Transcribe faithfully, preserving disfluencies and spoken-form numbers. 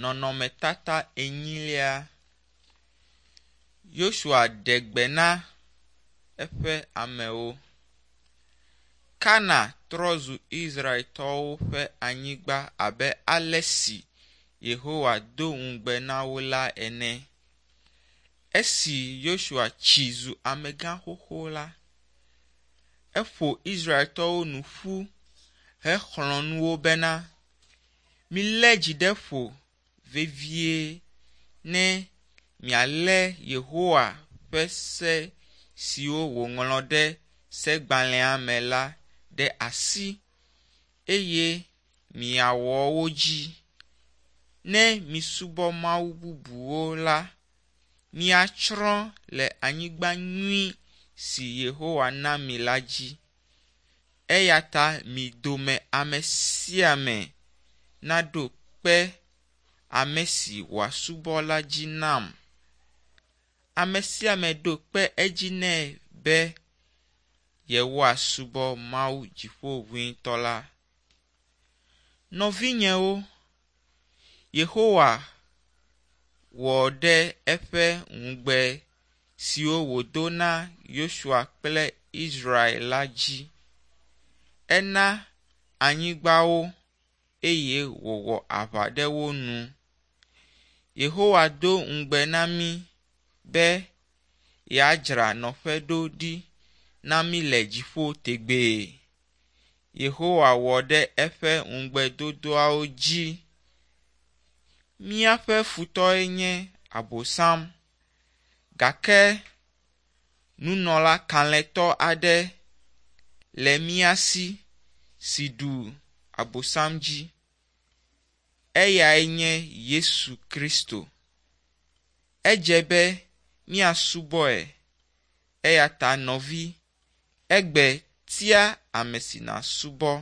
Nɔnɔmetata enyilia. Yosua ɖe gbe na eƒe amewo. Kana trɔ zu Israeltɔwo ƒe anyigba abe ale si Yehowa do ŋugbe na wo la ene. Esi Yosua tsi zu amegã xoxo la, eƒo Israeltɔwo nu ƒu hexlɔ̃ nu wo bena, “Milé dzi ɖe ƒo vevie ne mialé Yehowa ƒe se siwo wòŋlɔ ɖe segbalẽa me la ɖe asi eye miawɔ wo dzi. Ne misubɔ mawu bubuwo la, miatsrɔ̃ le anyigba nyui si Yehowa na mi la dzi. Eya ta mi dome ame sia ame naɖo kpe ame si wòasubɔ la dzi nam.” Ame sia ame ɖo kpe edzi nɛ be yewoasubɔ Mawu Dziƒoʋĩtɔ la. Nɔvinyewo, Yehowa wɔ ɖe eƒe ŋugbe siwo wòdo na Yosua kple Israel la dzi. Ena anyigba wo eye wòwɔ aʋa ɖe wo nu. Yehowa do ŋugbe na mí be yeadzra nɔƒe ɖo ɖi na mí le dziƒo tegbee. Yehowa wɔ ɖe eƒe ŋugbedodoawo dzi. Míaƒe futɔe nye Abosam gake nunɔla kalẽtɔ aɖe le mía si si ɖu Abosam dzi. Eyae nye Yesu Kristo. Edze be míasubɔe eya ta nɔvi, egbe tia ame si nàsubɔ.